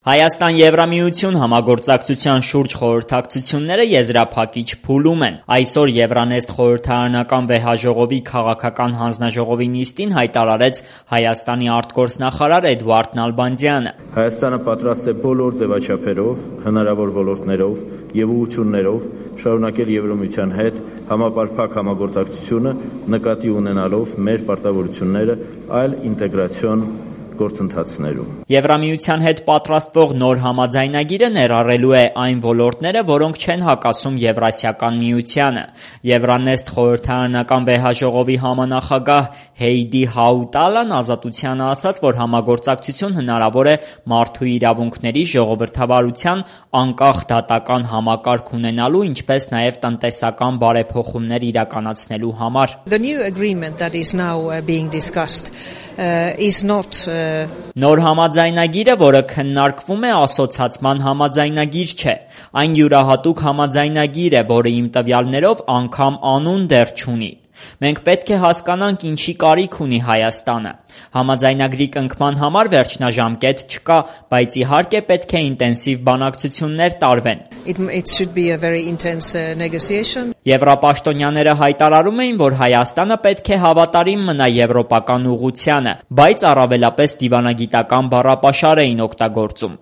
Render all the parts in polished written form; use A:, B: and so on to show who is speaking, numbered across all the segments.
A: Հայաստան-Եվրամիություն համագործակցության շուրջ խորհրդակցությունները եզրափակիչ փուլում են։ Այսօր Եվրանեստ խորհրդարանական վեհաժողովի քաղաքական հանձնաժողովի նիստին հայտարարեց Հայաստանի արտգործնախարար Էդուարդ Նալբանդյանը։
B: Հայաստանը պատրաստ է բոլոր ձևաչափերով, հնարավոր ոլորտներով և ուղղություններով շարունակել Եվրամիության հետ համապարփակ համագործակցությունը, նկատի ունենալով մեր պարտավորությունները այլ ինտեգրացիոն գործընթացներում։
A: Եվրամիության հետ պատրաստվող նոր համաձայնագիրը ներառելու է այն ոլորտները, որոնք չեն հակասում Եվրասիական միությանը։ Եվրանեստ խորհրդարանական վեհաժողովի համանախագահ Հեյդի Հաուտալան Ազատությանը ասաց, որ համագործակցություն հնարավոր է մարդու իրավունքների, ժողովրդավարության, անկախ դատական համակարգ ունենալու, ինչպես նաև տնտեսական բարեփոխումներ իրականացնելու համար։
C: The new agreement that is now being discussed is not
A: Նոր համաձայնագիրը, որը քննարկվում է, ասոցացման համաձայնագիր չէ։ Այն յուրահատուկ համաձայնագիր է, որը իմ տվյալներով անգամ անուն դեռ չունի։ Մենք պետք է հասկանանք ինչի կարիք ունի Հայաստանը։ Համաձայնագրի կնքման համար վերջնաժամկետ չկա, բայց իհարկե պետք է ինտենսիվ բանակցություններ տարվեն։
C: It should be a very intense negotiation.
A: Եվրապաշտոնյաները հայտարարում էին, որ Հայաստանը պետք է հավատարիմ մնա եվրոպական ուղղությանը, բայց առավելապես դիվանագիտական բառապաշար էին օգտագործում։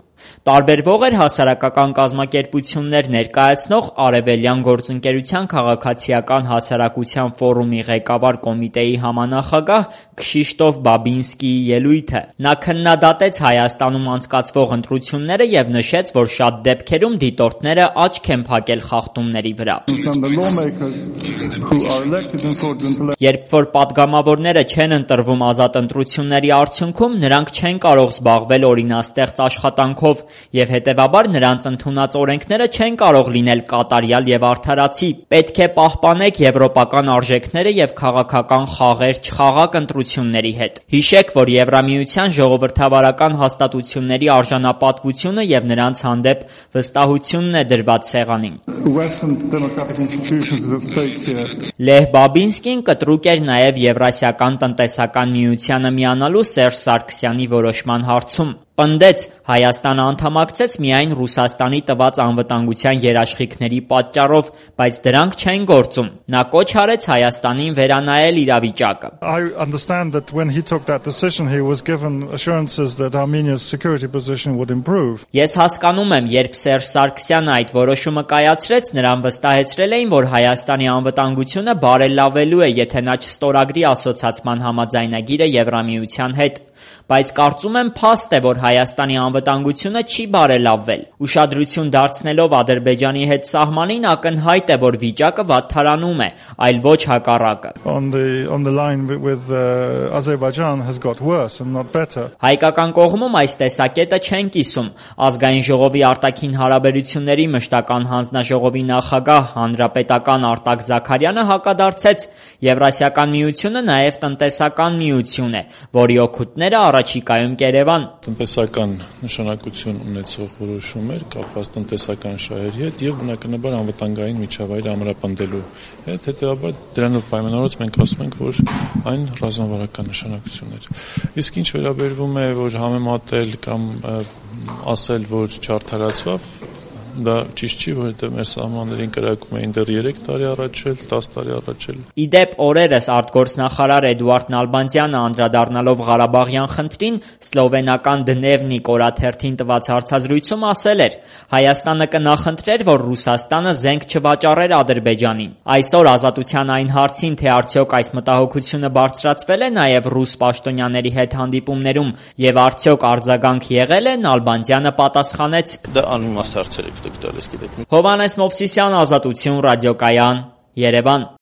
A: Տարբերվող էր հասարակական կազմակերպություններ ներկայացնող Արևելյան գործընկերության քաղաքացիական հասարակության ֆորումի ղեկավար կոմիտեի համանախագահ Քշիշտոֆ Բաբինսկիի ելույթը։ Նա քննադատեց Հայաստանում անցկացվող ընտրությունները և նշեց, որ շատ դեպքերում դիտորդները աչք են փակել խախտումների վրա։ Երբ որ պատգամավորները չեն ընտրվում ազատ ընտրությունների արդյունքում, նրանք չեն կարող զբաղվել օրինաստեղծ աշխատանքով և հետևաբար նրանց ընդունած օրենքները չեն կարող լինել կատարյալ և արդարացի։ Պետք է պահպանեք եվրոպական արժեքները և քաղաքական խաղեր չխաղաք ընտրությունների հետ։ Հիշեք, որ Եվրամիության ժողովրդավարական հաստատությունների արժանապատվությունը և նրանց հանդեպ վստահությունն է դրված սեղանին։ Լեհ Բաբինսկին կտրուկ էր նաև Եվրասիական տնտեսական միությանը միանալու Սերժ Սարգսյանի որոշման հարցում։ Պնդեց՝ Հայաստանը անդամակցեց միայն Ռուսաստանի տված անվտանգության երաշխիքների պատճառով, բայց դրանք չեն գործում։ Նա կոչ արեց Հայաստանին վերանայել իրավիճակը։
D: I understand that when he took that decision he was given assurances that Armenia's security position would improve.
A: Ես հասկանում եմ, երբ Սերժ Սարգսյանը այդ որոշումը կայացրեց, նրան վստահեցրել էին, որ Հայաստանի անվտանգությունը բարելավելու է, եթե նա չստորագրի ասոցացման համաձայնագիրը Եվրամիության հետ։ Բայց կարծում եմ փաստ է, որ Հայաստանի անվտանգությունը չի բարելավվել։ Ուշադրություն դարձնելով Ադրբեջանի հետ սահմանին, ակնհայտ է, որ վիճակը վատթարանում է, այլ ոչ հակառակը։
D: On the line with Azerbaijan has got worse and not better.
A: Հայկական կողմում այս տեսակետը չեն կիսում։ Ազգային ժողովի արտաքին հարաբերությունների մշտական հանձնաժողովի նախագահ հանրապետական Արտակ Զաքարյանը հակադարձեց։ Եվրասիական միությունը նաև տնտեսական միություն է, որի օգուտները առաջիկայում կերևան։
E: Տնտեսական նշանակություն ունեցող որոշումներ կապված տնտեսական շահերի հետ եւ բնականաբար անվտանգային միջավայրը ամրապնդելու հետ, հետեւաբար դրանով պայմանավորված մենք ասում ենք, որ այն ռազմավարական նշանակություն էր։ Իսկ ինչ վերաբերվում է, որ համեմատել կամ ասել, որ չարդարացավ, դա ճիշտ չի, որովհետև մեր սահմաններին կրակում էին դեռ 3 տարի առաջ էլ, 10 տարի առաջ էլ։
A: Իդեպ օրերս արտգործնախարար Էդուարդ Նալբանդյանը անդրադառնալով Ղարաբաղյան խնդրին սլովենական Դնևնիկ օրաթերթին տված հարցազրույցում ասել էր. Հայաստանը կնախընտրեր, որ Ռուսաստանը զենք չվաճառեր Ադրբեջանին։ Այսօր Ազատության այն հարցին, թե արդյոք այս մտահոգությունը բարձրացվել է նաև ռուս պաշտոնյաների հետ հանդիպումներում և արդյոք արձագանք եղել է, Նալբանդյանը պատասխանեց.
B: Դա անիմաստ հարցեր եք տալիս, գիտեք։
A: Հովհաննես Մովսիսյան, Ազատություն, ռադիոկայան, Երևան։